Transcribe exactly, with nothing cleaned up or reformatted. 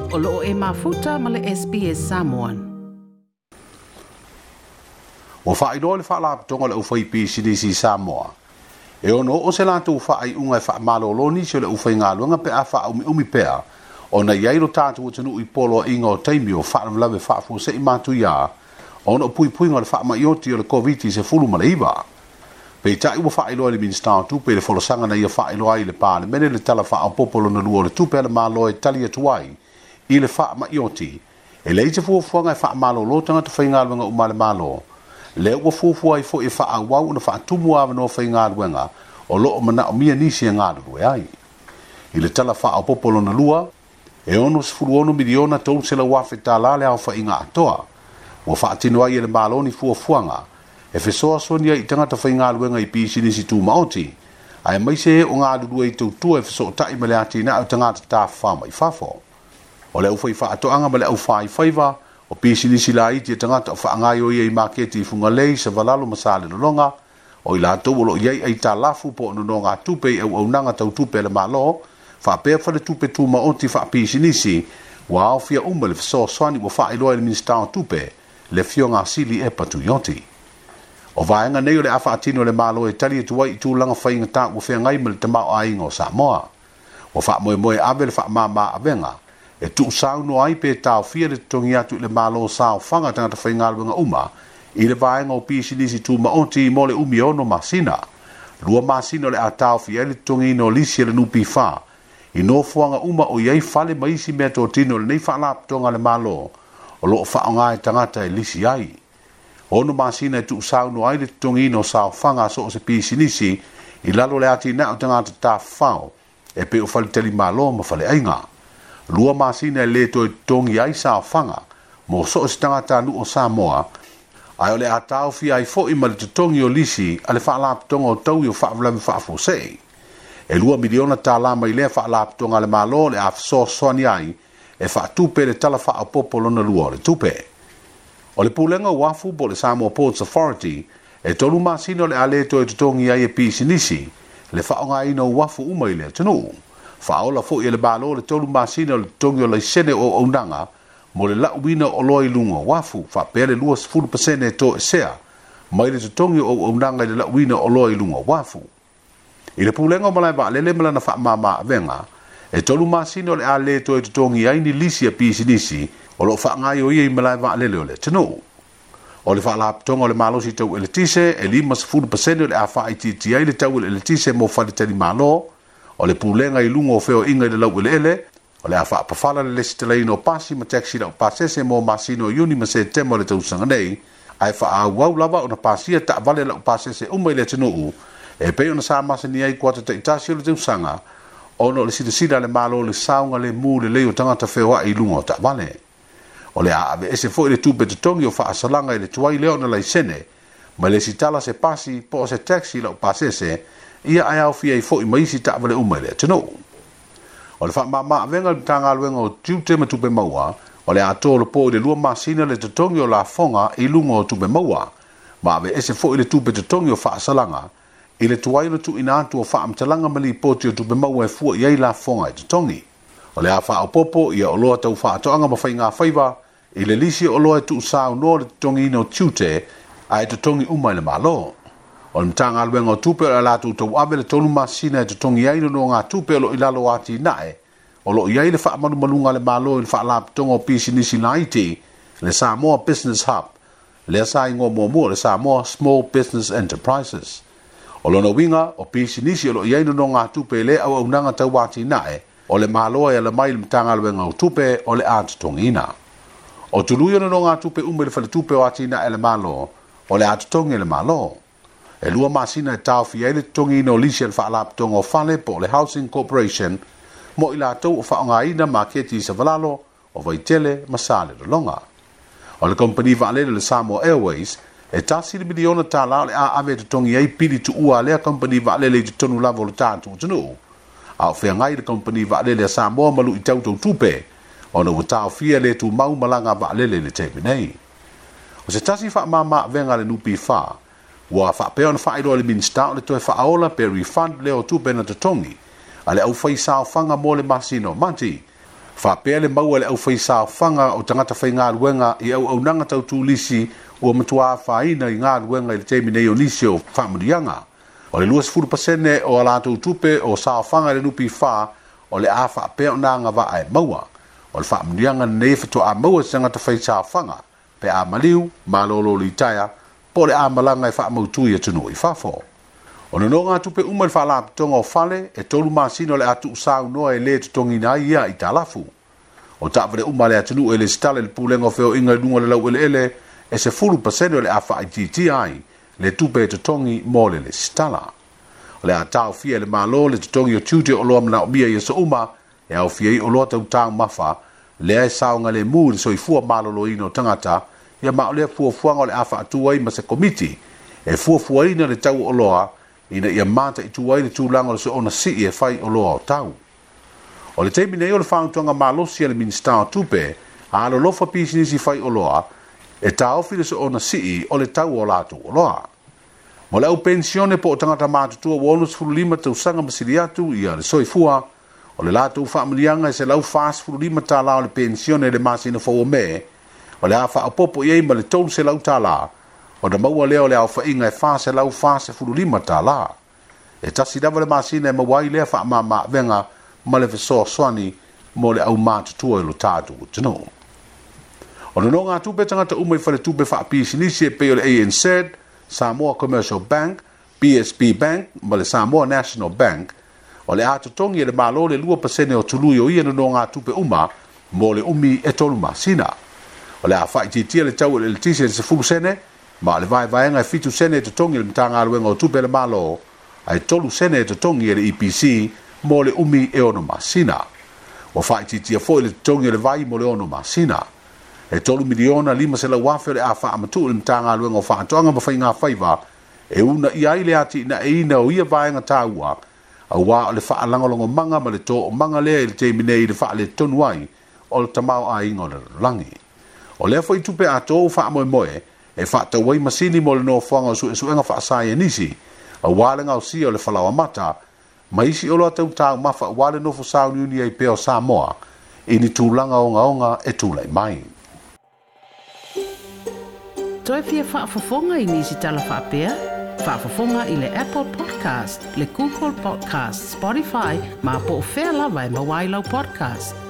O loo e mafuta ma le S B S Samoan. Ua faailoa le faalapotopotoga o le aufaipisinisi i Samoa. E ono oo se latou faaiuga e faamalolo nisi o le aufaigaluega pe a faaumiumi pea ona i ai lo tatou atunuu i poloaiga o taimi o faalavelave faafuasei matuia ona o puipuiga o le faamaioti o le Koviti sefulu ma le iva. Peitai ua faailoa i le Minisita o Tupe i le folasaga na ia faailoa ai i le Palemene le tala faaopoopo lona lua o le tupe a le Malo e tali atu ai i le faamaioti. E leai se fuafuaga e faamalolo tagata faigaluega uma a le Malo. Lea ua fuafua ai foi e faaauau ona faatumu avanoa faigaluega o loo manaomia nisi e galulue ai. I le tala faaopoopo lona lua, e ono sefulu ono miliona tolu selau afe tala le aofaiga atoa. Ua faatino ai e le Malo ni fuafuaga e fesoasoani ai i tagata faigaluega i pisinisi tumaoti, ae maise e o galulue i tautua e fesootai ma le atinae o tagata tafafao mai fafo. O le aufai faatoaga ma le aufaifaiva, o pisinisi laiti e tagata o faagaioia i maketi i Fugalei, Savalalo ma Salelologa, o i latou o loo i ai aitalafu po o nonogatupe i auaunaga tautupe a le Malo, faapea faletupe tumaoti faapisinisi, ua aofia uma le fesoasoani ua faailoa i le Minisita o Tupe, le Afioga Sili Epa Tuioti. O vaega nei o le a faatino e le Malo e tali atu ai i tulaga faigata ua feagai ma le tamaoaiga o Samoa. Ua faamoemoe ave le faamama avega e tuusaunoa ai pe taofia le totogi atu i le Malo saofaga tagata faigaluega uma i le vaega o pisinisi tumaoti mo le umi e ono masina. Lua masina o le a taofia ai le totogiina o lisi e le N P F i nofoaga uma o i ai fale ma isi meatotino o lenei faalapotopotoga a le Malo o loo faaaoga e tagata e lisi ai. Ono masina e tuusaunoa ai le totogiina o saofaga a so o se pisinisi i lalo le atinae o tagata tafafao e pei o faletalimalo ma faleaiga. Lua masina e le toe totogi ai saofaga mo so o se tagatanuu o Samoa, ae o le a taofia ai foi ma le totogi o lisi a le faalapotopotoga o taui o faalavelave faafuasei. E lua miliona tala mai lea faalapotopotoga a le Malo le a fesoasoani ai e faatupe le tala faaopoopo lona lua o le tupe. O le pulega o uafu po o le Samoa Ports Authority e tolu masina o le a le toe totogi ai e pisinisi le faaaogaina o uafu uma i le atunuu. Faaola foi e le Malo le tolu masina o le totogi o laisene o auaunaga mo le lauina o oloa i luga o uafu, faapea le luasefulu pasene e toesea mai le totogi o auaunaga i le lauina o oloa i luga o uafu. I le pulega o malae vaalele ma lana faamama avega, e tolu masina o le a le toe totogi ai ni lisi a pisinisi o loo faagaioia i malae vaalele o le atunuu. O le faalapotopotoga o le malosi tau eletise, e limasefulu pasene o le a faaitiitia ai le tau o le eletise mo faletalimalo, o le pulega i luga o feoaiga i le laueleele, o le a faapafala le lesitalaina o pasi ma taxi laupasese mo masina o Iuni ma Setema o le tausaga nei, ae faaauau lava ona pasia taavale laupasese uma i le atunuu, e pei ona sa masani ai kuata taitasi o le tausaga, ona o le silasila a le Malo i le saoga lemu lelei o tagata feoai i luga o taavale. O le a aveese foi le tupe totogi o faasalaga i le tuai lea ona laisene, ma le sitala se pasi po o se taxi laupasese, ia ae aofia ai foi ma isi taavale uma i le atunuu. O le faamama avega i le Matagaluega o Tiute ma Tupe Maua, o le a tolopo i le lua masina le totogi o lafoga i luga o tupe maua, ma aveese foi le tupe totogi o faasalaga i le tuai o le tuuina atu o faamatalaga ma lipoti o tupe maua e fua i ai lafoga e totogi. O le a faaopoopo ia oloa tau faatoaga ma faigafaiva i le lisi o oloa e tuusaunoa le totogiina o tiute ae totogi uma i le Malo. O le Matagaluega o Tupe o le a latou tauave le tolu masina e totogi ai nonogatupe o loo i lalo o atinae o loo i ai le faamalumaluga a le Malo i le faalapotopotoga o pisinisi laiti, le Samoa Business Hub, lea sa igoa muamua le Samoa Small Business Enterprises. O lona uiga o pisinisi o loo i ai nonogatupe i le auaunaga tau atinae o le Malo e ala mai i le Matagaluega o Tupe o le a totogiina. O tului o nonogatupe uma i le faletupe o atinae a le Malo o le a totogi e le Malo. E lua masina e taofia ai le totogiina o lisi a le faalapotopotoga o fale po o le Housing Corporation mo i latou o faaaogaina maketi i Savalalo, o Vaitele ma Salelologa. O le kompani vaalele le Samoa Airways e tasi le miliona tala o le a ave e totogi ai pili tuua a lea kompani vaalele i totonu lava o le tatou atunuu. A o feagai le kompani vaalele a Samoa ma luitau tautupe, ona ua taofia le tumau malaga vaalele i le taimi nei. O se tasi faamama avega a le N P F, ua faapea ona faailoa i le Minisita o le toe faaola pe refund lea o tupe na totogi a le aufai saofaga mo le masina o Mati. Faapea le maua e le aufaisaofaga o tagata faigaluega i auaunaga tau turisi ua matuā afaina i galuega i le taimi nei o nisi o faamanuiaga. O le luasefulu pasene o a latou tupe o saofaga i le N P F o le a faapea ona agavaa e maua. O le faamanuiaga lenei e faatoa maua e se tagata faisaofaga pe a maliu, malolo litaea, po o le a malaga e faamautu i atunuu i fafo. O nonogatupe uma i le faalapotopotoga o fale e tolu masina o le a tuusaunoa e lē totogiina ai ia aitalafu. O taavale uma a le atunuu e lesitala i le pulega o feoaiga i luga o le laueleele e sefulu pasene o le a faaitiitia ai le tupe e totogi mo le lesitala. O le a taofia e le Malo le totogi o tiute o oloa manaomia i aso uma e aofia ai oloa tau taumafa lea e saogalemu i le soifua maloloina o tagata ia ma o lea fuafuaga o le a faatu ai ma se komiti e fuafuaina le tau o oloa ina ia mataitu ai le tulaga o le soona sii e fai oloa o tau. O le taimi nei o le fautuaga malosi a le Minisita o Tupe a alolofa pisinisi fai oloa e taofi le soona sii o le tau o latou oloa. Mo le au pensione po o tagata matutua ua onosefululima tausaga ma sili atu ia le soifua, o le latou faamanuiaga e selau fasefululima tālā o le pensione i le masina fou o Me, o le a faaopoopo i ai ma le tolu selau tālā, ona maua lea o le aofaiga e fa selau fasefululima tālā. E tasi lava le masina e maua ai lea faamamaavega ma le fesoasoani mo le au matutua i lo tatou atunuu. O nonogatupe tagata uma i faletupe faapisinisi e pei o le A N Z, Samoa Commercial Bank, B S B Bank ma le Samoa National Bank, o le a totogi e le Malo le lua pasene o tului o ia nonogatupe uma mo le umi e tolu masina. O le a faaitiitia le tau o le eletise i le sefulu sene, ma o le vaevaega e fitu sene e totogi e le Matagaluega o Tupe a le Malo, ae tolu sene e totogi e le E P C mo le umi e ono masina. Ua faaitiitia foi le totogi o le vai mo le ono masina. E tolu miliona lima selau afe o le a faamatuu i le Matagaluega o Faatoaga ma Faiga Faiva e uunaia ai le atinaeina o ia vaega taua, auā o le faalagolagomaga ma le toomaga lea i le taimi nei i le faaletonu ai o le tamaoaiga o le lalolagi. O lea foi tupe atoa ua faamoemoe e faatau ai masini mo le nofoaga o suesuega faasaienisi, auā le gaosia o le falaoamata, ma isi oloa tau taumafa auā le nofo sauniuni ai pea o Samoa i ni tulaga ogaoga e tulai mai. Toe fia faafofoga i nisi tala faapea? Faafofoga i le Apple Podcast, le Google Podcast, Spotify, ma po o fea lava e maua ai lau podcast.